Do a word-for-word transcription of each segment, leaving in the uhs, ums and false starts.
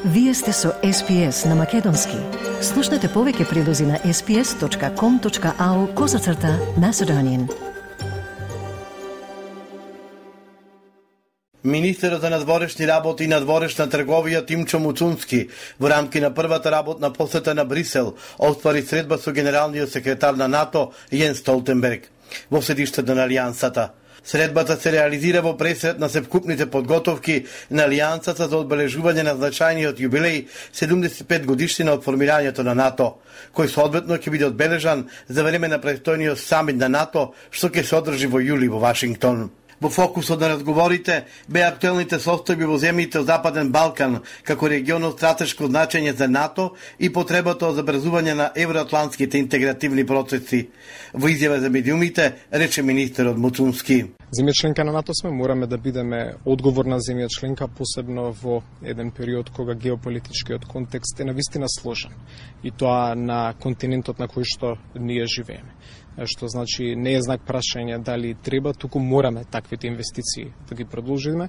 Вие сте со Ес Пи Ес на Македонски. Слушнете повеќе прилози на ес пи ес точка ком точка ау козацрта Macedonian. Министерот за надворешни работи и надворешна трговија Тимчо Муцунски во рамки на првата работна посета на Брисел оствари средба со генералниот секретар на НАТО Јенс Столтенберг во седиштето на Алијансата. Средбата се реализира во пресред на севкупните подготовки на Алијансата за одбележување на значајниот јубилеј седумдесет и пет годишнина од формирањето на НАТО, кој соодветно ќе биде одбележан за време на престојниот самит на НАТО, што ќе се одржи во јули во Вашингтон. Во фокусот на разговорите беа актуелните состојби во земјите од Западен Балкан како регион од стратешко значење за НАТО и потребата од забрзување на евроатлантските интегративни процеси. Во изјава за медиумите рече министерот Муцунски: Земја членка на НАТО сме, мораме да бидеме одговорна земја членка, посебно во еден период кога геополитичкиот контекст е навистина сложен, и тоа на континентот на кој што ние живееме. Што значи не е знак прашање дали треба, туку мораме таквите инвестиции да ги продолжиме.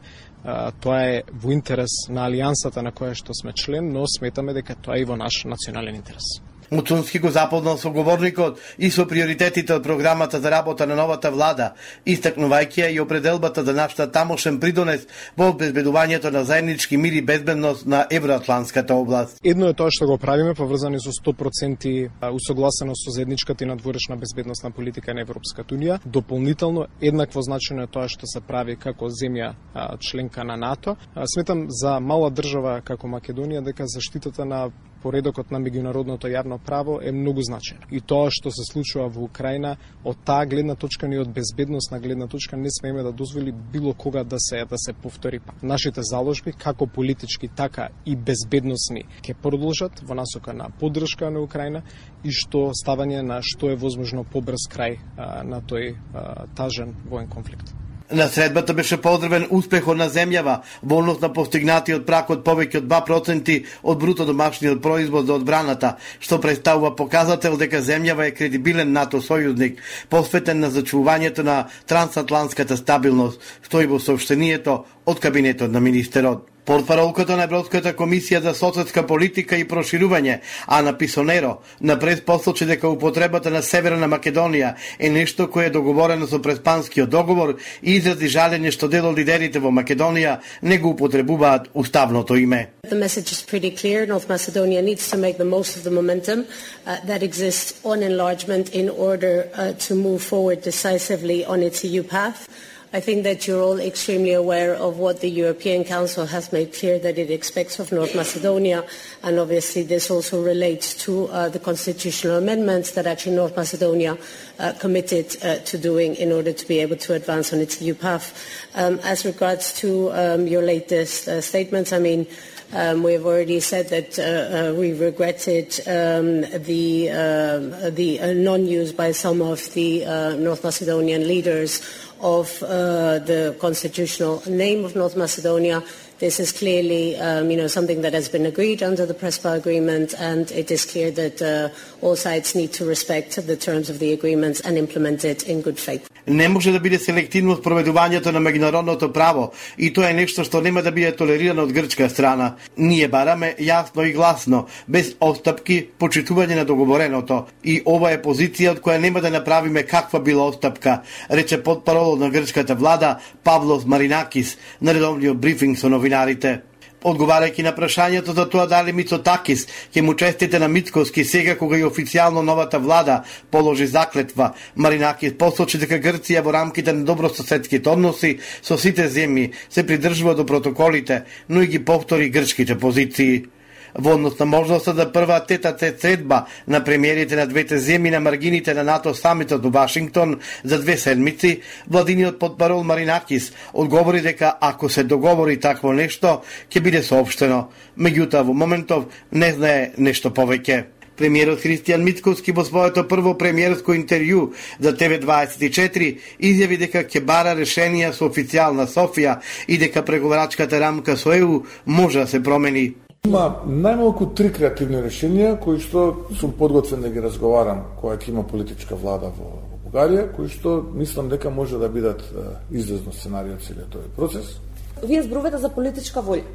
Тоа е во интерес на алијансата на која што сме член, но сметаме дека тоа е и во наш национален интерес. Муцунски го запознал со говорникот и со приоритетите од програмата за работа на новата влада, истакнувајќи ја и определбата за нашата тамошен придонес во обезбедувањето на заеднички мир и безбедност на евроатлантската област. Едно е тоа што го правиме поврзани со сто проценти усогласено со заедничката и надворешна безбедносна политика на Европската унија. Дополнително еднакво значено е тоа што се прави како земја членка на НАТО. Сметам за мала држава како Македонија дека заштитата на поредокот на меѓународното јавно право е многу значајно. И тоа што се случува во Украина, од таа гледна точка и од безбедносна гледна точка не смееме да дозволи било кога да се да се повтори пак. Нашите заложби, како политички, така и безбедносни, ќе продолжат во насока на поддршка на Украина и што ставање на што е возможно побрз крај а, на тој а, тажен воен конфликт. На средбата беше поздравен успехот на земјава во однос на постигнатиот прак од повеќе од два проценти од бруто домашниот производ за одбраната, што представува показател дека земјава е кредибилен НАТО сојузник, посветен на зачувувањето на трансатлантската стабилност, стои во соопштението од кабинетот на министерот. Портпаролката на Европската комисија за соседска политика и проширување, Ана Писонеро, напред посочи дека употребата на Северна Македонија е нешто кое е договорено со Преспанскиот договор и изрази жалење што дел од лидерите во Македонија не го употребуваат уставното име. The message is pretty clear. North Macedonia needs to make the most of the momentum uh, that exists on enlargement in order uh, to move forward decisively on its E U path. I think that you're all extremely aware of what the European Council has made clear that it expects of North Macedonia, and obviously this also relates to uh, the constitutional amendments that actually North Macedonia uh, committed uh, to doing in order to be able to advance on its E U path. Um, as regards to um, your latest uh, statements, I mean, Um, we have already said that uh, uh, we regretted um, the, uh, the uh, non-use by some of the uh, North Macedonian leaders of uh, the constitutional name of North Macedonia. This is clearly um, you know, something that has been agreed under the Prespa agreement, and it is clear that uh, all sides need to respect the terms of the agreements and implement it in good faith. Не може да биде селективно спроведувањето на меѓународното право и тоа е нешто што нема да биде толерирано од грчка страна. Ние бараме јасно и гласно, без отстапки, почитување на договореното, и ова е позиција од која нема да направиме каква била отстапка, рече потпаролот на грчката влада Павлос Маринакис на редовниот брифинг со новинарите. Одговарајќи на прашањето за тоа дали Мицотакис ќе му честите на Мицкоски сега кога и официјално новата влада положи заклетва, Маринакис посочи дека Грција во рамките на добрососедските односи со сите земји се придржува до протоколите, но и ги повтори грчките позиции. Во однос на можноста за прва тета-тет средба на премиерите на двете земји на маргините на НАТО самитот во Вашингтон за две седмици, владиниот потпарол Маринакис одговори дека ако се договори такво нешто, ќе биде соопштено. Меѓутоа, во моментов не знае нешто повеќе. Премиерот Христијан Мицкоски во своето прво премиерско интервју за Те Ве дваесет и четири изјави дека ќе бара решенија со официјална Софија и дека преговарачката рамка со Е У може да се промени. Има најмалку три креативни решенија кои што сум подготвен да ги разговарам кога ќе има политичка влада во Бугарија, кои што мислам дека може да бидат излезно сценарио од целиот тој процес. Вие зборувате за политичка волја.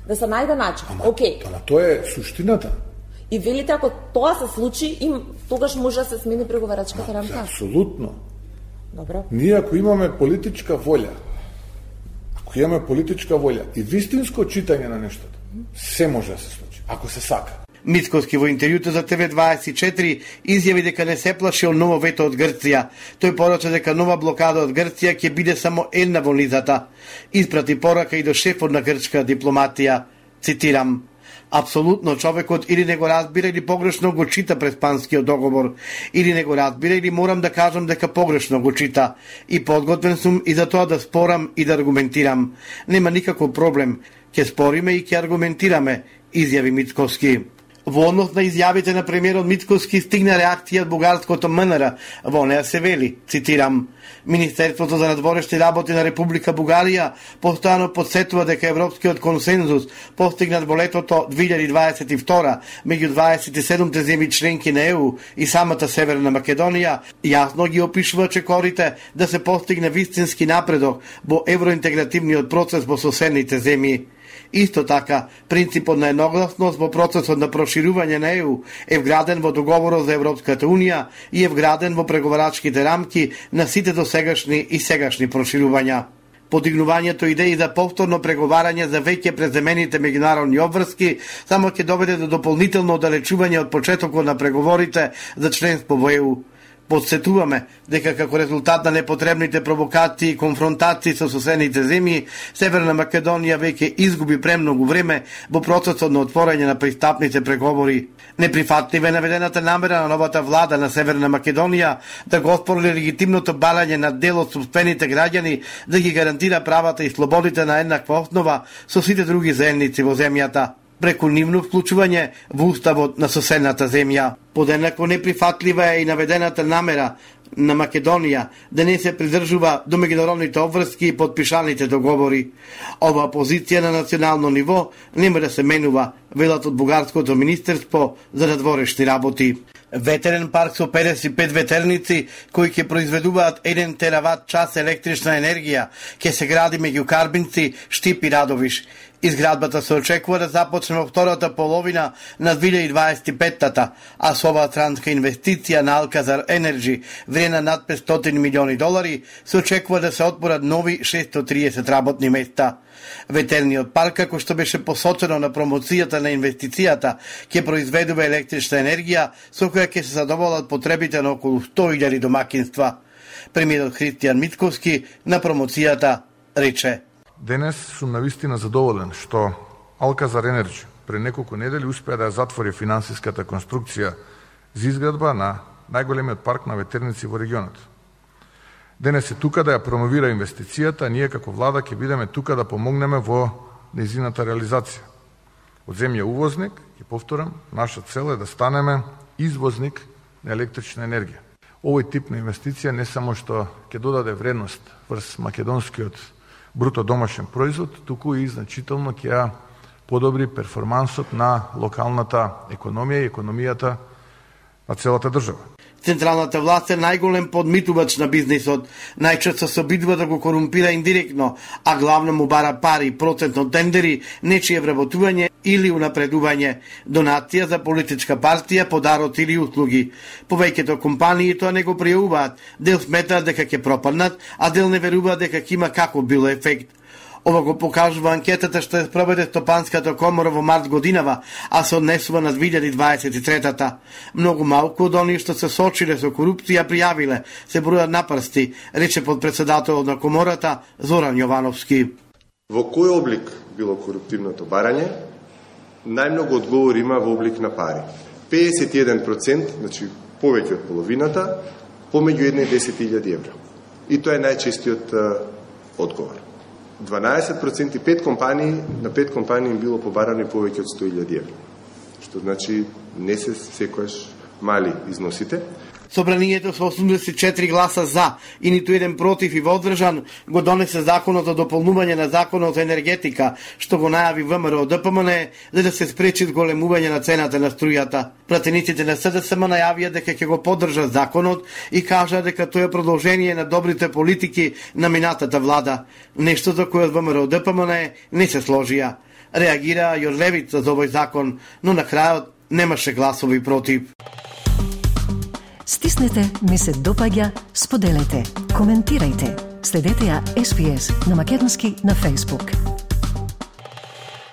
Да се најде начин. Ама, Океј. Ама тоа е суштината. И велите, ако тоа се случи, им тогаш може да се смени преговарачката рамка? Апсолутно. Добро. Ние ако имаме политичка волја, ако имаме политичка волја и вистинско читање на нештото, се може да се случи, ако се сака. Мицкоски во интервјуто за Т В дваесет и четири изјави дека не се плаши од ново вето од Грција. Тој порача дека нова блокада од Грција ќе биде само една во низата. Испрати порака и до шефот на грчка дипломатија. Цитирам: апсолутно човекот или не го разбира или погрешно го чита преспанскиот договор, или не го разбира или морам да кажам дека погрешно го чита. И подготвен сум и за тоа да спорам и да аргументирам. Нема никаков проблем. Ќе спориме и ќе аргументираме, изјави Мицкоски. Во однос на изјавите на премиерот Мицкоски стигна реакција од бугарското М Н Р. Во неа се вели, цитирам: Министерството за надворешни работи на Република Бугарија постојано подсетува дека европскиот консензус постигнат во летото две илјади дваесет и втора меѓу дваесет и седумте земји членки на Е У и самата Северна Македонија јасно ги опишува чекорите да се постигне вистински напредок во евроинтегративниот процес во соседните земји. Исто така, принципот на едногласност во процесот на проширување на Е У е вграден во договорот за Европската Унија и е вграден во преговарачките рамки на сите досегашни и сегашни проширувања. Подигнувањето идеи за повторно преговарање за веќе преземените меѓународни обврски само ќе доведе до дополнително оддалечување од почетокот на преговорите за членство во Е У. Подсетуваме дека како резултат на непотребните провокации и конфронтации со соседните земји, Северна Македонија веќе изгуби премногу време во процесот на отворање на пристапните преговори. Неприфатлива е наведената намера на новата влада на Северна Македонија да го оспори легитимното барање на дел од собствените граѓани да ги гарантира правата и слободите на еднаква основа со сите други заедници во земјата, преку нивно вклучување во уставот на соседната земја. Подеднакво неприфатлива е и наведената намера на Македонија да не се придржува до меѓународните обврски и подпишаните договори. Ова позиција на национално ниво нема да се менува, велат од бугарското министерство за надворешни работи. Ветерен парк со педесет и пет ветерници кои ќе произведуваат еден терават час електрична енергија ќе се гради меѓу Карбинци, Штип и Радовиш. Изградбата се очекува да започне во втората половина на две илјади дваесет и петта, а со оваа странска инвестиција на Алказар Енерджи, вредна над петстотини милиони долари, се очекува да се отворат нови шестстотини и триесет работни места. Ветерниот парк, како што беше посочено на промоцијата на инвестицијата, ќе произведува електрична енергија со која ќе се задоволат потребите на околу сто илјади домакинства. Премиерот Христијан Мицкоски на промоцијата рече: Денес сум навистина задоволен што Алказар Енерджи пред неколку недели успеа да ја затвори финансиската конструкција за изградба на најголемиот парк на ветерници во регионот. Денес е тука да ја промовира инвестицијата, а ние како влада ќе бидеме тука да помогнеме во нејзината реализација. Од земја увозник, ќе повторам, наша цел е да станеме извозник на електрична енергија. Овој тип на инвестиција не само што ќе додаде вредност врз македонскиот бруто домашен производ, туку и значително ќе ја подобри перформансот на локалната економија и економијата на целата држава. Централната власт е најголем подмитувач на бизнисот. Најчесто се обидува да го корумпира индиректно, а главно му бара пари, процент од тендери, нечие вработување или унапредување, донација за политичка партија, подарот или услуги. Повеќето компании тоа не го пријавуваат, дел сметаат дека ќе пропаднат, а дел не веруваат дека ќе има каков било ефект. Ова го покажува анкетата што ја спроведе Стопанската комора во март годинава, а се однесува на две илјади дваесет и трета. Многу малку од оние што се сочиле со корупција пријавиле, се бројат на прсти, рече подпредседателот на комората Зоран Јовановски. Во кој облик било коруптивното барање? Најмногу одговор има во облик на пари. педесет и еден проценти, значи повеќе од половината, помеѓу една и десет илјади евра. И тоа е најчестиот одговор. дванаесет проценти пет компании, на пет компании им било побарани повеќе од сто илјади евра. Што значи не се секојаш мали износите. Собранието со осумдесет и четири гласа за и ниту еден против и воздржан го донесе законот за дополнување на законот за енергетика, што го најави Вэ Ем Ер О Д П М Н за да се спречи зголемување на цената на струјата. Пратениците на С Д С М најавија дека ќе го поддржат законот и кажаа дека тоа е продолжение на добрите политики на минатата влада, нешто за кое Вэ Ем Ер О Д П М Н не се сложија. реагира и од левица за овој закон, но на крајот немаше гласови против. Стиснете, ми се допаѓа, споделете, коментирајте. Следете ја Ес Би Ес на македонски на Facebook.